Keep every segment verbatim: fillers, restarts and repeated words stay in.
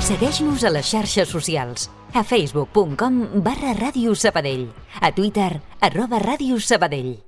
Segueix-nos a les xarxes socials. A facebook punt com barra Ràdio Sabadell. A Twitter, arroba Ràdio Sabadell.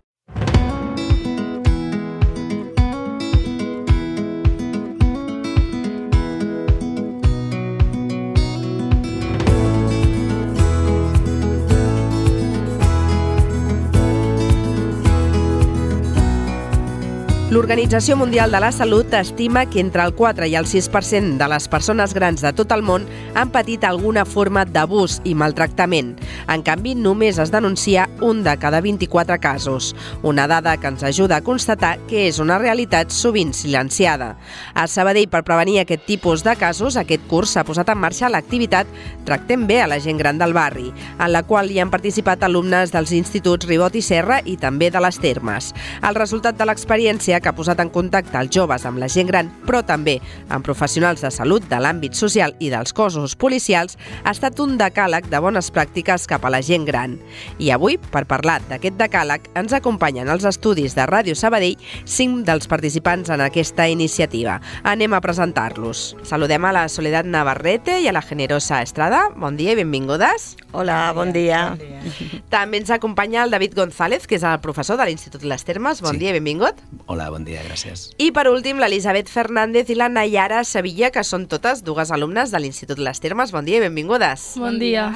L'Organització Mundial de la Salut estima que entre el quatre i el sis per cent de les persones grans de tot el món han patit alguna forma d'abús i maltractament. En canvi, només es denuncia un de cada vint-i-quatre casos. Una dada que ens ajuda a constatar que és una realitat sovint silenciada. A Sabadell, per prevenir aquest tipus de casos, aquest curs s'ha posat en marxa l'activitat Tractem bé a la gent gran del barri, en la qual hi han participat alumnes dels instituts Ribot i Serra i també de les Termes. El resultat de l'experiència que ha posat en contacte els joves amb la gent gran, però també amb professionals de salut de l'àmbit social i dels cossos policials, ha estat un decàleg de bones pràctiques cap a la gent gran. I avui, per parlar d'aquest decàleg, ens acompanyen als estudis de Ràdio Sabadell cinc dels participants en aquesta iniciativa. Anem a presentar-los. Saludem a la Soledad Navarrete i a la Generosa Estrada. Bon dia i benvingudes. Hola, bon dia. Bon dia. També ens acompanya el David González, que és el professor de l'Institut Les Termes. Bon Sí. dia i benvingut. Hola, bon dia, gràcies. I per últim, l'Elisabet Fernández i la Nayara Sevilla, que són totes dues alumnes de l'Institut Les Termes. Bon dia i benvingudes. Bon dia.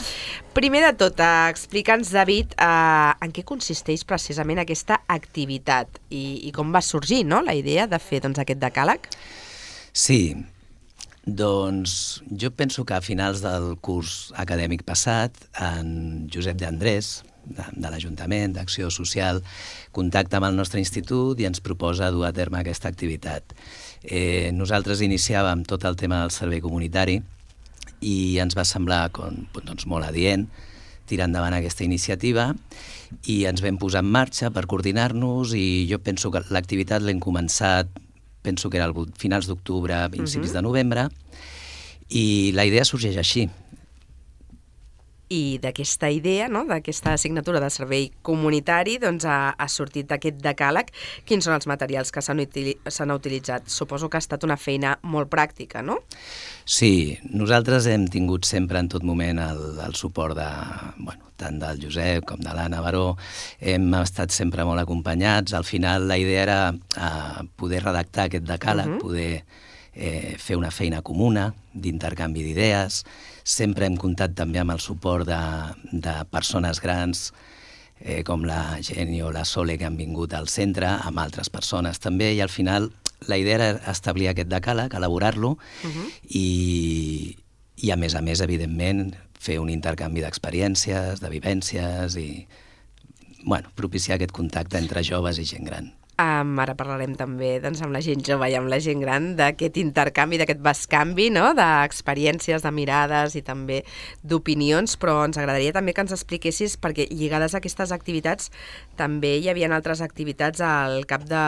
Primer de tot, eh, explica'ns, David, eh, en què consisteix precisament aquesta activitat i, i com va sorgir, no?, la idea de fer doncs, aquest decàleg. Sí, doncs jo penso que a finals del curs acadèmic passat, en Josep de Andrés, de, de l'Ajuntament d'Acció Social, contacta amb el nostre institut i ens proposa dur a terme aquesta activitat. Eh, nosaltres iniciàvem tot el tema del servei comunitari i ens va semblar com, doncs, molt adient tirar endavant aquesta iniciativa i ens vam posar en marxa per coordinar-nos i jo penso que l'activitat l'hem començat, penso que era al finals d'octubre, principis uh-huh. de novembre, i la idea sorgeix així. I d'aquesta idea, no?, d'aquesta assignatura de servei comunitari, doncs ha, ha sortit aquest decàleg. Quins són els materials que s'han utili s'han utilitzat? Suposo que ha estat una feina molt pràctica, no? Sí, nosaltres hem tingut sempre en tot moment el, el suport de, bueno, tant del Josep com de l'Anna Baró. Hem estat sempre molt acompanyats. Al final la idea era eh, poder redactar aquest decàleg, uh-huh. poder eh, fer una feina comuna d'intercanvi d'idees. Sempre hem comptat també amb el suport de, de persones grans eh, com la Geni o la Sole que han vingut al centre, amb altres persones també, i al final la idea era establir aquest decàleg, elaborar-lo uh-huh. i, i a més a més, evidentment, fer un intercanvi d'experiències, de vivències i bueno, propiciar aquest contacte entre joves i gent gran. Um, ara parlarem també doncs, amb la gent jove i amb la gent gran d'aquest intercanvi, d'aquest bescanvi, no?, d'experiències, de mirades i també d'opinions, però ens agradaria també que ens expliquessis, perquè lligades a aquestes activitats també hi havia altres activitats al CAP de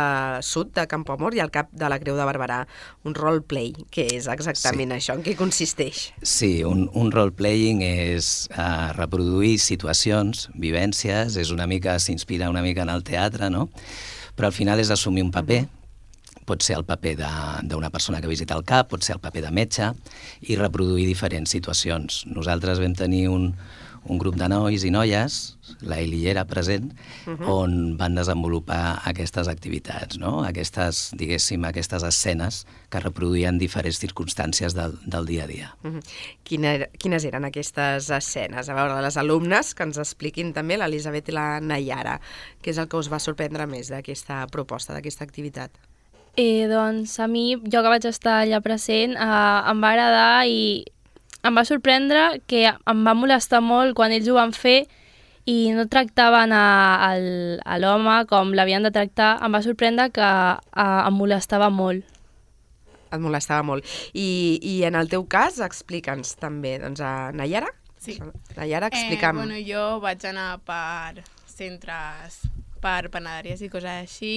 Sud de Campoamor i al CAP de la Creu de Barberà, un roleplay. Què és exactament sí. això? En què consisteix? Sí, un, un roleplaying és uh, reproduir situacions, vivències, és una mica, s'inspira una mica en el teatre, no?, però al final és assumir un paper, pot ser el paper d'una persona que visita el CAP, pot ser el paper de metge, i reproduir diferents situacions. Nosaltres vam tenir un, un grup de nois i noies, la Eli era present, uh-huh. on van desenvolupar aquestes activitats, no? Aquestes, diguéssim, aquestes escenes que reproduïen diferents circumstàncies del, del dia a dia. Uh-huh. Quina, quines eren aquestes escenes? A veure, les alumnes, que ens expliquin també, l'Elisabet i la Nayara, què és el que us va sorprendre més d'aquesta proposta, d'aquesta activitat? Eh, doncs a mi, jo que vaig estar allà present, eh, em va agradar i em va sorprendre que em va molestar molt quan ells ho van fer i no tractaven a, a, a l'home com l'havien de tractar. Em va sorprendre que a, em molestava molt. Et molestava molt. I, i en el teu cas, explica'ns també, doncs, a Nayara? Sí. Nayara, explica'm. Eh, bueno, jo vaig anar per centres, per panaderies i coses així,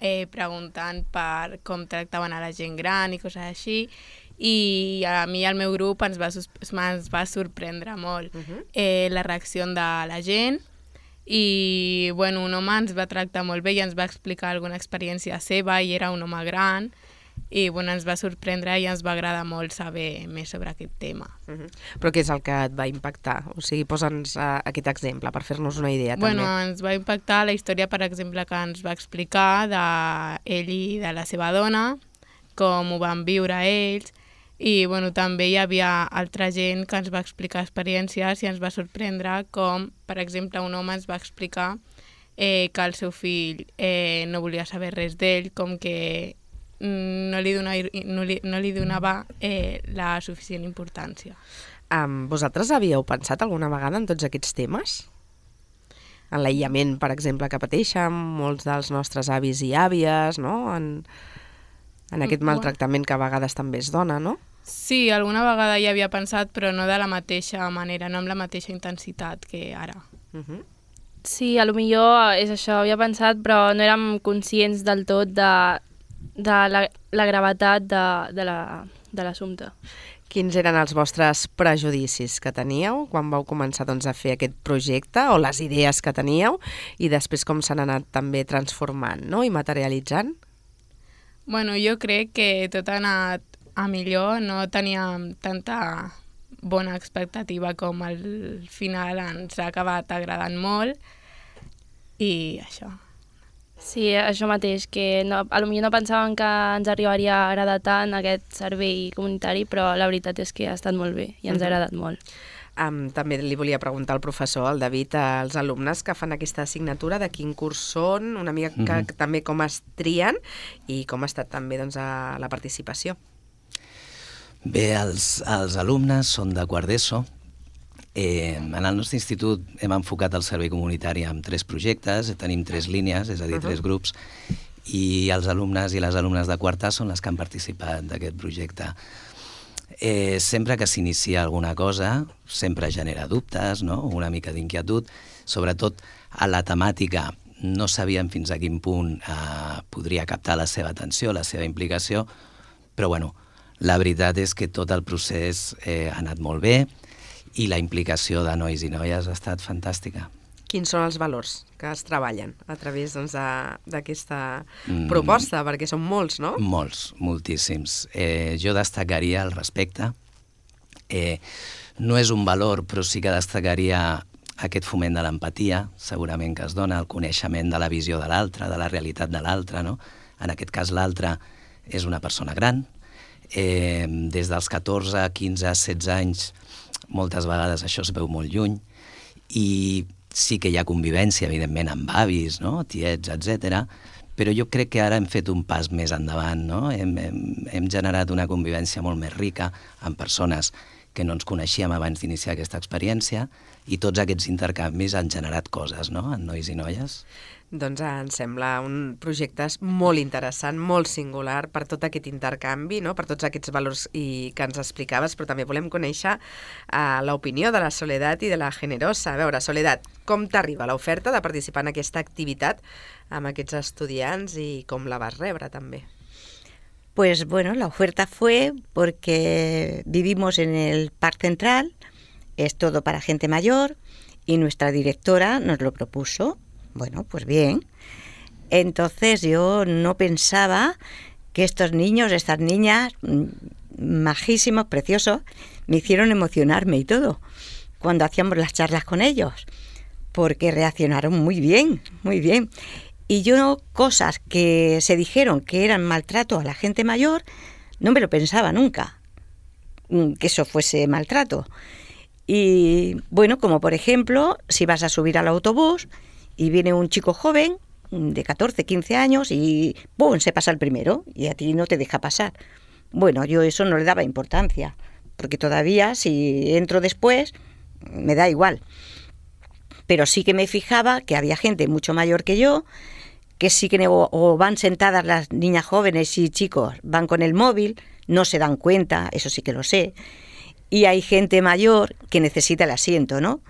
eh, preguntant per com tractaven a la gent gran i coses així, i a mi i al meu grup ens va, ens va sorprendre molt uh-huh. eh, la reacció de la gent, i bueno, un home ens va tractar molt bé i ens va explicar alguna experiència seva, i era un home gran, i bueno, ens va sorprendre i ens va agradar molt saber més sobre aquest tema. Uh-huh. Però què és el que et va impactar? O sigui, posa'ns uh, aquest exemple per fer-nos una idea bueno, també. Ens va impactar la història, per exemple, que ens va explicar d'ell i de la seva dona, com ho van viure ells, i bueno, també hi havia altra gent que ens va explicar experiències i ens va sorprendre com, per exemple, un home ens va explicar eh, que el seu fill eh, no volia saber res d'ell, com que no li, dona, no li, no li donava eh, la suficient importància. Um, vosaltres havíeu pensat alguna vegada en tots aquests temes? En l'aïllament, per exemple, que pateixen molts dels nostres avis i àvies, no? En, en aquest maltractament que a vegades també es dona, no? Sí, alguna vegada hi havia pensat, però no de la mateixa manera, no amb la mateixa intensitat que ara. Uh-huh. Sí, a lo millor és això, havia pensat, però no érem conscients del tot de, de la, la gravetat de, de la- de l'assumpte. Quins eren els vostres prejudicis que teníeu quan vau començar doncs, a fer aquest projecte o les idees que teníeu i després com s'han anat també transformant, no? I materialitzant? Bueno, jo crec que tot ha anat a millor, no teníem tanta bona expectativa com al final ens ha acabat agradant molt i això. Sí, això mateix, que no, a lo millor no pensàvem que ens arribaria a agradar tant aquest servei comunitari, però la veritat és que ha estat molt bé i ens ha agradat molt. Um, també li volia preguntar al professor, al David, als alumnes que fan aquesta assignatura, de quin curs són, una mica que, Mhm. que també com es trien i com ha estat també doncs, a la participació. Bé, els, els alumnes són de quart d'ESO. Eh, en el nostre institut hem enfocat el servei comunitari amb tres projectes, tenim tres línies, és a dir, Uh-huh. tres grups, i els alumnes i les alumnes de quarta són les que han participat d'aquest projecte. Eh, sempre que s'inicia alguna cosa, sempre genera dubtes, no? Una mica d'inquietud, sobretot a la temàtica. No sabíem fins a quin punt eh, podria captar la seva atenció, la seva implicació, però bueno, la veritat és que tot el procés eh, ha anat molt bé i la implicació de nois i noies ha estat fantàstica. Quins són els valors que es treballen a través doncs, de- d'aquesta Mm. proposta? Perquè són molts, no? Molts, moltíssims. Eh, jo destacaria el respecte. Eh, no és un valor, però sí que destacaria aquest foment de l'empatia, segurament que es dona, el coneixement de la visió de l'altre, de la realitat de l'altre, no? En aquest cas l'altre és una persona gran. Eh, des dels catorze, quinze, setze anys, moltes vegades això es veu molt lluny, i sí que hi ha convivència, evidentment, amb avis, no? Tiets, etcètera, però jo crec que ara hem fet un pas més endavant, no? Hem, hem, hem generat una convivència molt més rica amb persones que no ens coneixíem abans d'iniciar aquesta experiència, i tots aquests intercanvis han generat coses, no?, en nois i noies. Doncs em sembla un projecte molt interessant, molt singular per tot aquest intercanvi, no? Per tots aquests valors i que ens explicaves, però també volem conèixer uh, l'opinió de la Soledat i de la Generosa. A veure, Soledat, com t'arriba l'oferta de participar en aquesta activitat amb aquests estudiants i com la vas rebre també? Pues bueno, la oferta fue porque vivimos en el Parque Central, es todo para gente mayor y nuestra directora nos lo propuso. Bueno, pues bien. Entonces yo no pensaba que estos niños, estas niñas, mm, majísimos, preciosos, me hicieron emocionarme y todo cuando hacíamos las charlas con ellos, porque reaccionaron muy bien, muy bien. Y yo cosas que se dijeron que eran maltrato a la gente mayor, no me lo pensaba nunca, mm, que eso fuese maltrato. Y bueno, como por ejemplo, si vas a subir al autobús y viene un chico joven de catorce, quince años y ¡pum!, se pasa el primero y a ti no te deja pasar. Bueno, yo eso no le daba importancia, porque todavía si entro después me da igual. Pero sí que me fijaba que había gente mucho mayor que yo, que sí que o, o van sentadas las niñas jóvenes y chicos, van con el móvil, no se dan cuenta, eso sí que lo sé. Y hay gente mayor que necesita el asiento, ¿no?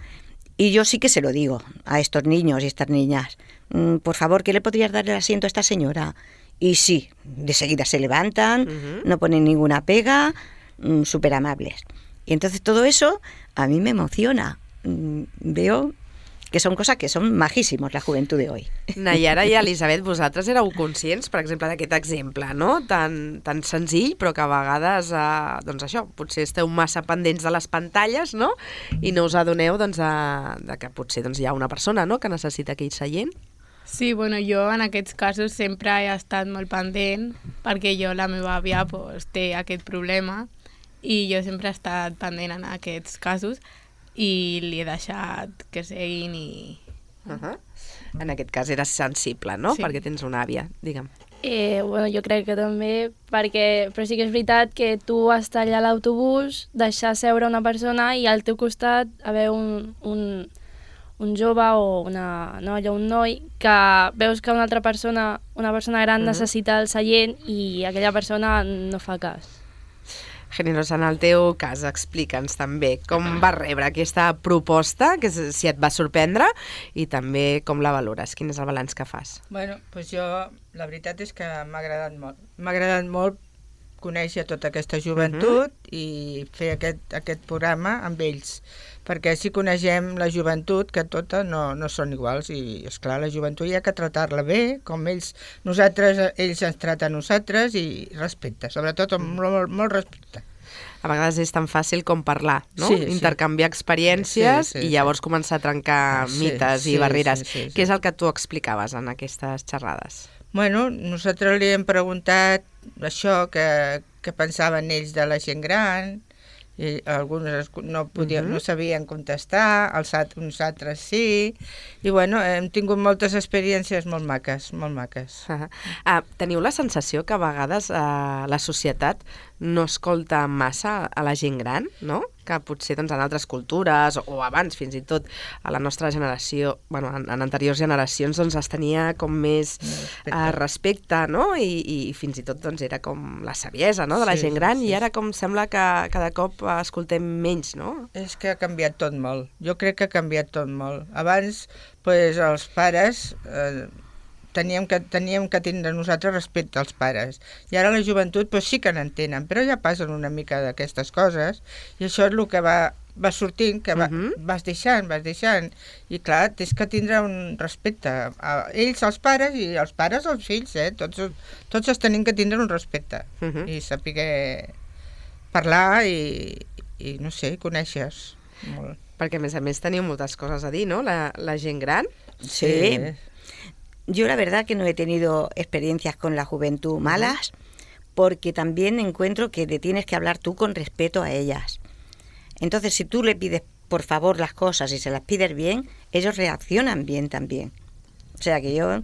Y yo sí que se lo digo a estos niños y estas niñas. Mm, por favor, ¿qué le podrías dar el asiento a esta señora? Y sí, de seguida se levantan, Uh-huh. no ponen ninguna pega, mm, súper amables. Y entonces todo eso a mí me emociona. Mm, veo que son cosas que son majísimos, la juventud de hoy. Nayara i Elisabet, vosaltres éreu conscients, per exemple, d'aquest exemple, no? Tan, tan senzill, però que a vegades, eh, doncs això, potser esteu massa pendents de les pantalles, no? I no us adoneu, doncs, de, de que potser doncs, hi ha una persona, no?, que necessita aquell seient. Sí, bueno, jo en aquests casos sempre he estat molt pendent perquè jo, la meva àvia, pues, té aquest problema i jo sempre he estat pendent en aquests casos i li he deixat que seguin i... Uh -huh. En aquest cas eres sensible, no? Sí. Perquè tens una àvia, digue'm. Eh, bueno, jo crec que també, perquè, però sí que és veritat que tu estar allà a l'autobús, deixar seure una persona i al teu costat haver un, un, un jove o una noia o un noi que veus que una altra persona, una persona gran, uh-huh, necessita el seient i aquella persona no fa cas. Generosa, en el teu cas, explica'ns també com vas rebre aquesta proposta, que si et va sorprendre, i també com la valores, quin és el balanç que fas? Bueno, doncs jo, la veritat és que m'ha agradat molt. M'ha agradat molt conèixer tota aquesta joventut uh-huh. i fer aquest, aquest programa amb ells, perquè així coneixem la joventut, que totes no, no són iguals, i esclar, la joventut hi ha que tratar-la bé, com ells, nosaltres, ells ens traten a nosaltres, i respecte, sobretot amb molt, molt respecte. A vegades és tan fàcil com parlar, no? Sí, intercanviar sí. experiències sí, sí, i llavors sí. començar a trencar sí, mites sí, i barreres. Sí, sí, sí. Què és el que tu explicaves en aquestes xerrades? Bueno, nosaltres li hem preguntat això, que, que pensaven ells de la gent gran, i alguns no, podien, uh-huh. no sabien contestar, els altres, uns altres sí, i bueno, hem tingut moltes experiències molt maques, molt maques. Uh-huh. Uh, teniu la sensació que a vegades uh, la societat no escolta massa a la gent gran, no? Que potser doncs, en altres cultures, o abans fins i tot a la nostra generació, bueno, en, en anteriors generacions doncs, es tenia com més respecte, uh, respecte no? I, i fins i tot doncs, era com la saviesa, no? De la sí, gent gran, sí, i ara com sembla que cada cop escoltem menys, no? És que ha canviat tot molt. Jo crec que ha canviat tot molt. Abans, pues, els pares... Eh, Teníem que, teníem que tindre nosaltres respecte als pares. I ara la joventut pues, sí que n'entenen, però ja passen una mica d'aquestes coses, i això és el que va, va sortint, que va, uh-huh. vas deixant, vas deixant. I clar, tens que tindre un respecte a ells, als pares, i els pares als fills, eh? Tots, tots els tenim que tindre un respecte. Uh-huh. I saber parlar i, i no sé, conèixer-se molt. Perquè a més a més teniu moltes coses a dir, no? La, la gent gran. Sí. sí. Yo la verdad que no he tenido experiencias con la juventud malas, porque también encuentro que le tienes que hablar tú con respeto a ellas. Entonces, si tú le pides por favor las cosas y se las pides bien, ellos reaccionan bien también. O sea que yo,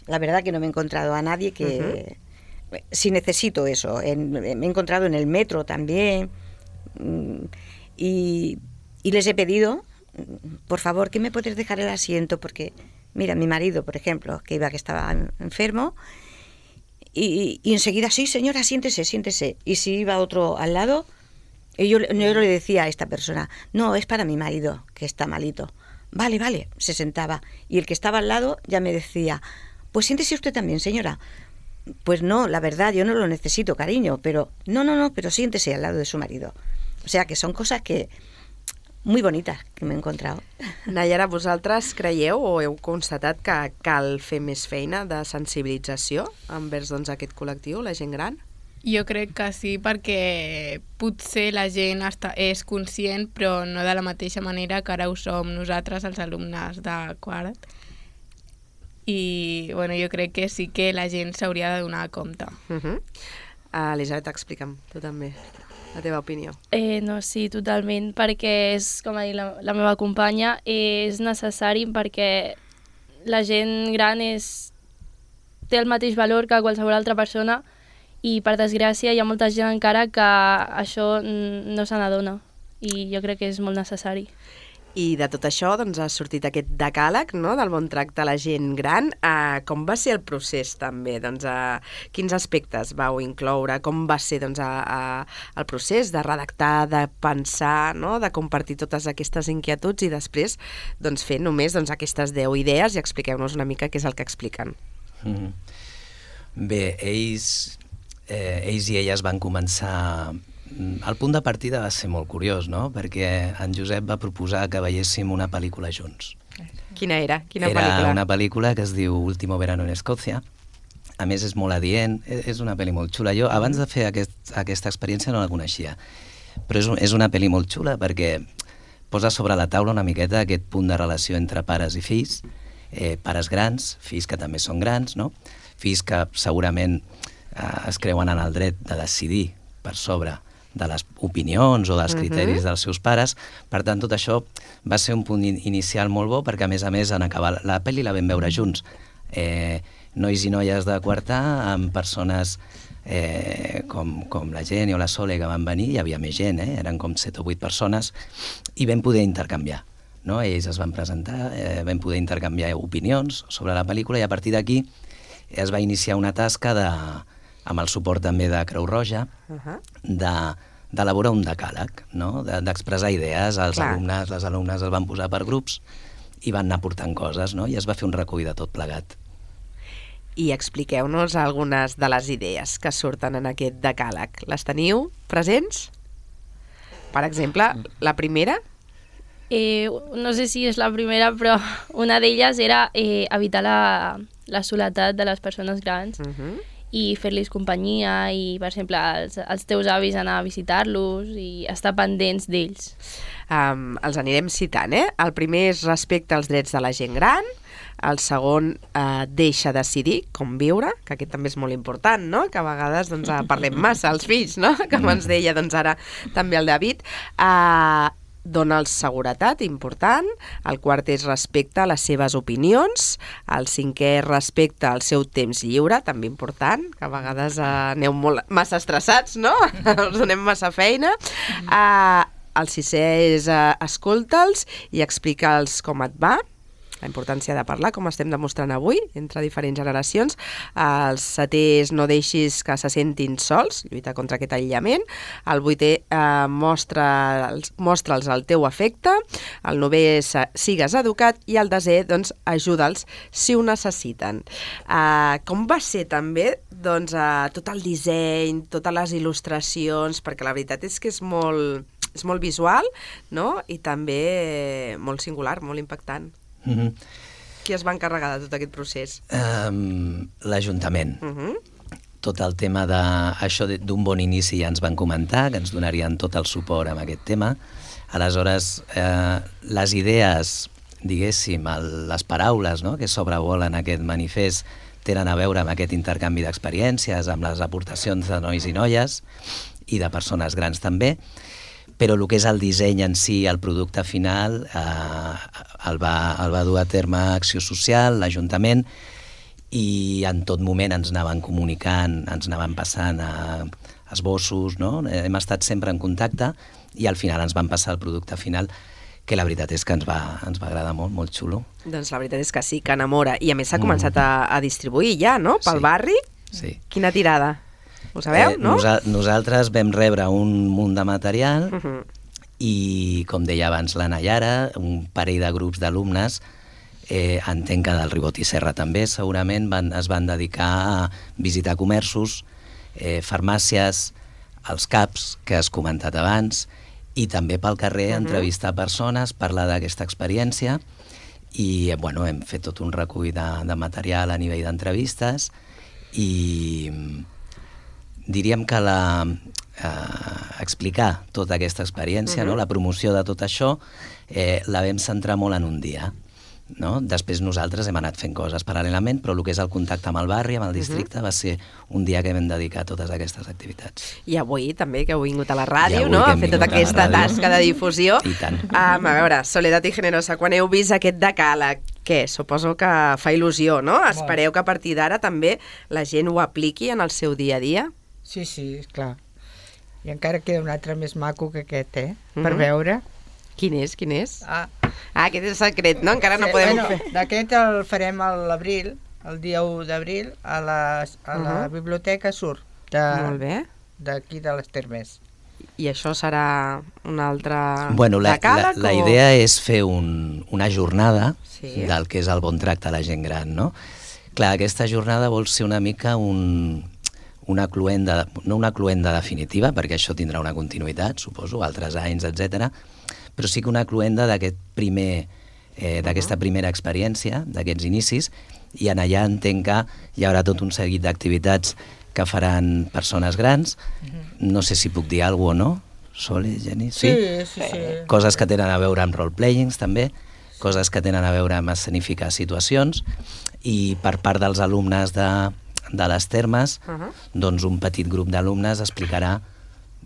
la verdad que no me he encontrado a nadie que... Uh-huh. Si necesito eso, en, me he encontrado en el metro también, y, y les he pedido, por favor, ¿que me puedes dejar el asiento? Porque... Mira, mi marido, por ejemplo, que iba que estaba enfermo, y, y enseguida, sí, señora, siéntese, siéntese. Y si iba otro al lado, y yo, yo le decía a esta persona, no, es para mi marido, que está malito. Vale, vale, se sentaba. Y el que estaba al lado ya me decía, pues siéntese usted también, señora. Pues no, la verdad, yo no lo necesito, cariño, pero no, no, no, pero siéntese al lado de su marido. O sea, que son cosas que... muy bonitas que m'he encontrado. Nayara, vosaltres creieu o heu constatat que cal fer més feina de sensibilització envers doncs, aquest col·lectiu, la gent gran? Jo crec que sí, perquè potser la gent està, és conscient, però no de la mateixa manera que ara ho som nosaltres, els alumnes de quart. I bueno, jo crec que sí que la gent s'hauria de donar compte. Uh-huh. uh, Elisabet, explica'm, tu també. La teva opinió. Eh, no, sí, totalment, perquè és, com ha dit la, la meva companya, és necessari perquè la gent gran és, té el mateix valor que qualsevol altra persona i, per desgràcia, hi ha molta gent encara que això no se n'adona i jo crec que és molt necessari. I de tot això doncs, ha sortit aquest decàleg, no?, del bon tracte a la gent gran. Uh, com va ser el procés també? Doncs, uh, quins aspectes vau incloure? Com va ser doncs, uh, uh, el procés de redactar, de pensar, no?, de compartir totes aquestes inquietuds i després doncs, fer només doncs, aquestes deu idees i expliqueu-nos una mica què és el que expliquen. Mm-hmm. Bé, ells, eh, ells i elles van començar... El punt de partida va ser molt curiós, no? Perquè en Josep va proposar que veiéssim una pel·lícula junts. Quina era? Quina era pel·lícula? una pel·lícula que es diu Último verano en Escòcia. A més, és molt adient, és una pel·li molt xula. Jo, abans de fer aquest, aquesta experiència, no la coneixia. Però és, és una pel·li molt xula perquè posa sobre la taula una miqueta aquest punt de relació entre pares i fills, eh, pares grans, fills que també són grans, no? Fills que segurament eh, es creuen en el dret de decidir per sobre de les opinions o dels criteris uh-huh. dels seus pares. Per tant, tot això va ser un punt in inicial molt bo perquè, a més a més, en acabar la pel·li la vam veure junts. Eh, nois i noies de quartar amb persones eh, com, com la Jenny o la Sole que van venir, hi havia més gent, eh? Eren com set o vuit persones, i vam poder intercanviar. No? Ells es van presentar, eh, vam poder intercanviar opinions sobre la pel·lícula, i a partir d'aquí es va iniciar una tasca de, amb el suport també de Creu Roja, uh-huh. de d'elaborar un decàleg, no? D'expressar idees. Els Clar. alumnes, les alumnes es van posar per grups i van anar portant coses, no? I es va fer un recull de tot plegat. I expliqueu-nos algunes de les idees que surten en aquest decàleg. Les teniu presents? Per exemple, la primera? Eh, no sé si és la primera, però una d'elles era eh, evitar la, la soledat de les persones grans uh-huh. i fer-los companyia i, per exemple, els, els teus avis anar a visitar-los i estar pendents d'ells. Um, els anirem citant, eh? El primer és respecte als drets de la gent gran, el segon eh, deixa decidir com viure, que aquest també és molt important, no? Que a vegades doncs, parlem massa als fills, no? Com ens deia doncs, ara també el David. Uh, Dóna'ls seguretat, important. El quart és respecte a les seves opinions. El cinquè és respecte al seu temps lliure, també important, que a vegades uh, aneu molt, massa estressats, no? Us donem massa feina. Uh, el sisè és uh, escolta'ls i explica'ls com et va. La importància de parlar, com estem demostrant avui, entre diferents generacions. El setè és no deixis que se sentin sols, lluita contra aquest aïllament. El vuitè, eh, mostra'ls mostra el teu afecte. El novè és sigues educat. I el desè, doncs, ajuda'ls si ho necessiten. Eh, com va ser també doncs, eh, tot el disseny, totes les il·lustracions, perquè la veritat és que és molt, és molt visual, no? I també molt singular, molt impactant. Mm-hmm. Qui es va encarregar de tot aquest procés? Um, L'Ajuntament. Uh-huh. Tot el tema de, això d'un bon inici ja ens van comentar, que ens donarien tot el suport amb aquest tema. Aleshores, eh, les idees, diguéssim, el, les paraules, no?, que sobrevolen aquest manifest tenen a veure amb aquest intercanvi d'experiències, amb les aportacions de nois i noies i de persones grans també, però el que és el disseny en si, el producte final, eh, el, va, el va dur a terme Acció Social, l'Ajuntament, i en tot moment ens anaven comunicant, ens anaven passant a esbossos, no? Hem estat sempre en contacte i al final ens van passar el producte final, que la veritat és que ens va, ens va agradar molt, molt xulo. Doncs la veritat és que sí, que enamora. I a més s'ha mm. començat a, a distribuir ja, no?, pel sí. barri. Sí. Quina tirada? Ho sabeu, eh, no? Nosa nosaltres vam rebre un munt de material uh -huh. i, com deia abans la Nayara, un parell de grups d'alumnes, eh, entenc que del Ribot i Serra també, segurament van, es van dedicar a visitar comerços, eh, farmàcies, els CAPs, que has comentat abans, i també pel carrer uh -huh. entrevistar persones, parlar d'aquesta experiència, i bueno, hem fet tot un recull de, de material a nivell d'entrevistes, i diríem que la, eh, explicar tota aquesta experiència, uh-huh. no? La promoció de tot això, eh, la vam centrar molt en un dia. No? Després nosaltres hem anat fent coses paral·lelament, però el que és el contacte amb el barri, amb el districte, uh-huh. va ser un dia que vam dedicar a totes aquestes activitats. I avui també, que heu vingut a la ràdio, no? A fer tota aquesta tasca de difusió. I tant. Um, a veure, Soledat i Generosa, quan heu vist aquest decàleg, què? Suposo que fa il·lusió, no? Espereu que a partir d'ara també la gent ho apliqui en el seu dia a dia? Sí, sí, clar. I encara queda un altre més maco que aquest, eh? Uh-huh. Per veure. Quin és, quin és? Ah, ah aquest és secret, no? Encara no sí, podem bueno, fer. D'aquest el farem a l'abril, el dia u d'abril, a, la, a la uh-huh. biblioteca Sur. De, Molt bé. D'aquí de les Termes. I això serà un altre bueno, la, decàleg? La, la o... idea és fer un, una jornada sí. del que és el bon tracte a la gent gran, no? Clar, aquesta jornada vol ser una mica un... una cluenda, no una cluenda definitiva, perquè això tindrà una continuïtat, suposo, altres anys, etcètera, però sí que una cluenda d'aquest primer eh, d'aquesta primera experiència, d'aquests inicis, i en allà entenc que hi haurà tot un seguit d'activitats que faran persones grans. No sé si puc dir alguna cosa o no. Sole, Jenny? Sí, sí, sí. Coses que tenen a veure amb role-playings, també, coses que tenen a veure amb escenificar situacions, i per part dels alumnes de, de les termes, uh -huh. doncs un petit grup d'alumnes explicarà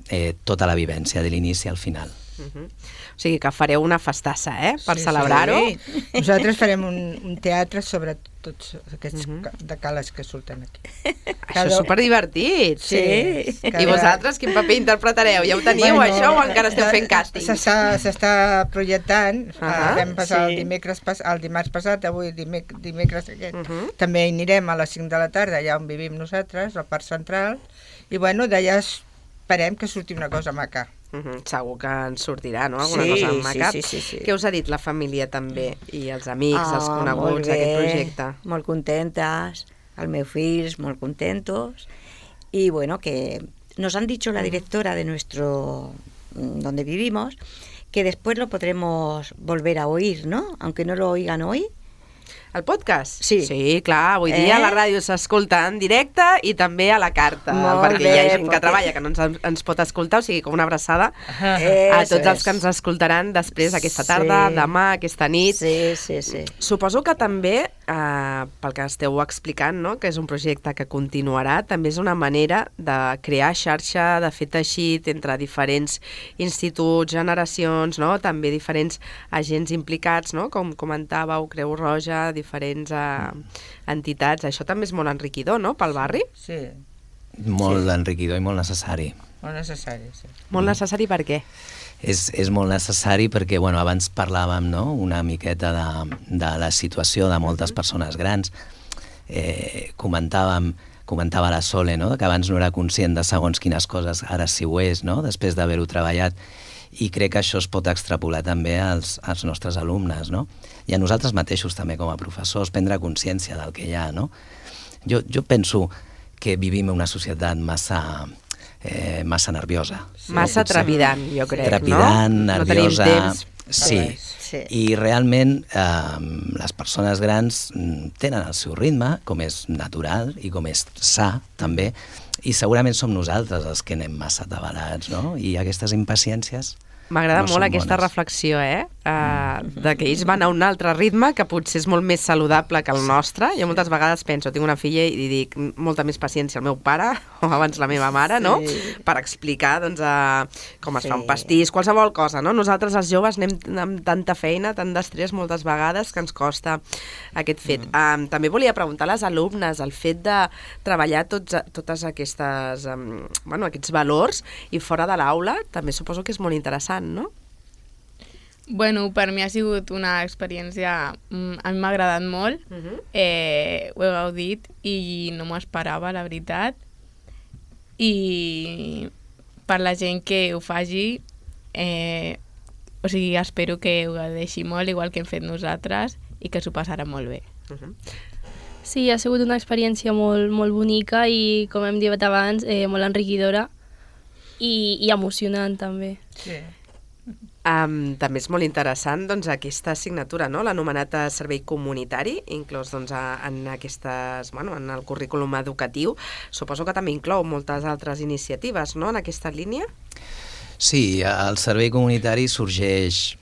eh, tota la vivència de l'inici al final. Uh -huh. O sigui que fareu una festassa, eh?, per sí, celebrar-ho. Sí. Nosaltres farem un, un teatre sobre tots aquests uh -huh. de cales que surten aquí. Això és superdivertit. Sí. Cada... I vosaltres quin paper interpretareu? Ja ho teniu, bueno, això, o encara esteu fent càstings? S'està projectant. Uh -huh. Vam passar sí. el, dimecres, el dimarts passat, avui dimec dimecres aquest. Uh -huh. També anirem a les cinc de la tarda, allà on vivim nosaltres, al Parc Central, i bueno, d'allà esperem que surti una cosa maca. Uh -huh. Segur que en sortirà, no?, alguna sí, cosa maca. Sí, sí, sí, sí. Què us ha dit la família també, i els amics, ah, els coneguts d'aquest projecte? Molt contentes, els meus fills molt contentos, y bueno, que nos han dicho la directora de nuestro, donde vivimos, que después lo podremos volver a oír, ¿no?, aunque no lo oigan hoy. El podcast? Sí. Sí, clar, avui dia eh? la ràdio s'escolta en directe i també a la carta, Molt perquè bé, hi ha gent perquè... que treballa que no ens, ens pot escoltar, o sigui, com una abraçada eh, a tots els que ens escoltaran després, aquesta tarda, sí. demà, aquesta nit. Sí, sí, sí. Suposo que també, eh, pel que esteu explicant, no?, que és un projecte que continuarà, també és una manera de crear xarxa, de fer teixit entre diferents instituts, generacions, no?, també diferents agents implicats, no?, com comentàveu, Creu Roja, diferents uh, entitats. Això també és molt enriquidor, no?, pel barri? Sí. Molt sí. enriquidor i molt necessari. Molt necessari, sí. Molt necessari per què? És, és molt necessari perquè, bueno, abans parlàvem, no?, una miqueta de, de la situació de moltes persones grans. Eh, comentàvem, comentava la Sole, no?, que abans no era conscient de segons quines coses, ara sí ho és, no?, després d'haver-ho treballat. I crec que això es pot extrapolar també als, als nostres alumnes, no?, i a nosaltres mateixos també com a professors, prendre consciència del que hi ha, no? Jo, jo penso que vivim en una societat massa, eh, massa nerviosa. Sí. Massa no? trepidant, jo crec, trepidant, no? nerviosa... No tenim temps. Sí. sí, i realment eh, les persones grans tenen el seu ritme, com és natural i com és sa, també, i segurament som nosaltres els que anem massa atabalats, no? I aquestes impaciències... M'agrada no molt aquesta bones. reflexió, eh? Uh, de que ells van a un altre ritme que potser és molt més saludable que el nostre. Jo moltes vegades penso, tinc una filla i dic molta més paciència al meu pare, o abans la meva mare, no? Sí. Per explicar, doncs, uh, com es Sí. fa un pastís, qualsevol cosa, no? Nosaltres, els joves, anem amb tanta feina, tant d'estrès moltes vegades que ens costa aquest fet. Mm. Um, també volia preguntar a les alumnes el fet de treballar tots, totes aquestes, um, bueno, aquests valors i fora de l'aula, també suposo que és molt interessant, no? Bueno, per mi ha sigut una experiència... mm, A mi m'ha agradat molt, Uh -huh. eh, ho he gaudit i no m'ho esperava, la veritat. I per la gent que ho faci, eh, o sigui, espero que ho gaudeixi molt, igual que hem fet nosaltres, i que s'ho passarà molt bé. Uh -huh. Sí, ha sigut una experiència molt, molt bonica i, com hem dit abans, eh, molt enriquidora i, i emocionant també. Sí. Um, també és molt interessant, doncs, aquesta assignatura, no?, l'anomenat eh, servei comunitari, inclòs, doncs, a, en aquestes, bueno, en el currículum educatiu. Suposo que també inclou moltes altres iniciatives, no?, en aquesta línia? Sí, el servei comunitari sorgeix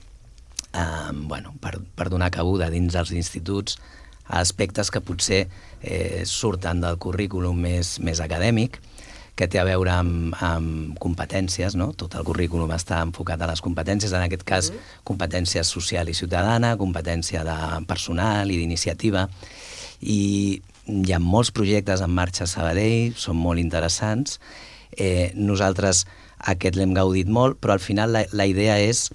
eh, bueno, per, per donar cabuda dins dels instituts a aspectes que potser eh, surten del currículum més, més acadèmic, que té a veure amb, amb competències, no? Tot el currículum està enfocat a les competències, en aquest cas mm. competència social i ciutadana, competència de personal i d'iniciativa, i hi ha molts projectes en marxa a Sabadell, són molt interessants. Eh, nosaltres aquest l'hem gaudit molt, però al final la, la idea és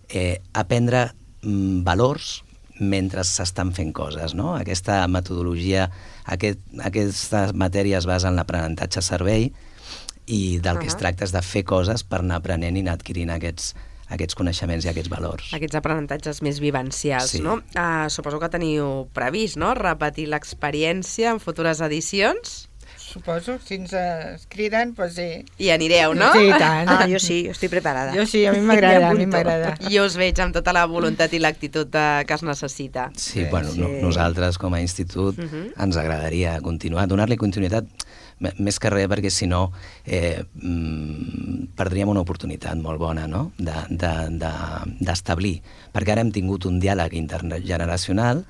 eh, aprendre mm, valors mentre s'estan fent coses, no? Aquesta metodologia, aquest, aquestes matèries es basen en l'aprenentatge servei i del que uh -huh. es tracta és de fer coses per anar aprenent i anar adquirint aquests, aquests coneixements i aquests valors. Aquests aprenentatges més vivencials, sí. no? Uh, suposo que teniu previst, no?, repetir l'experiència en futures edicions? suposo. Si ens es criden, doncs sí. I anireu, no? Sí, i tant. Ah, jo sí, jo estic preparada. Jo sí, a mi m'agrada, a mi m'agrada. Jo us veig amb tota la voluntat i l'actitud de- que es necessita. Sí, bueno, no, nosaltres com a institut uh -huh. ens agradaria continuar, donar-li continuïtat, m- més que res perquè si no eh, mm, perdríem una oportunitat molt bona, no?, d'establir, de, de, d'establir. Perquè ara hem tingut un diàleg intergeneracional,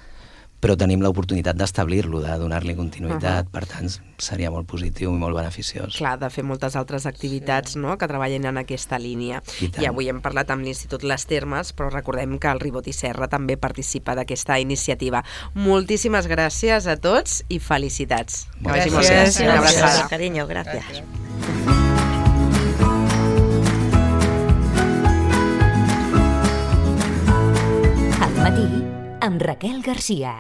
però tenim l'oportunitat d'establir-lo, de donar-li continuïtat, uh -huh. per tant seria molt positiu i molt beneficiós. Clar, de fer moltes altres activitats, no?, que treballen en aquesta línia. I tant. I avui hem parlat amb l'Institut Les Termes, però recordem que el Ribot i Serra també participa d'aquesta iniciativa. Moltíssimes gràcies a tots i felicitats. Que vagi molt bé. Gràcies. Una abraçada. Gracias, cariño, gracias. Al matí, amb Raquel Garcia.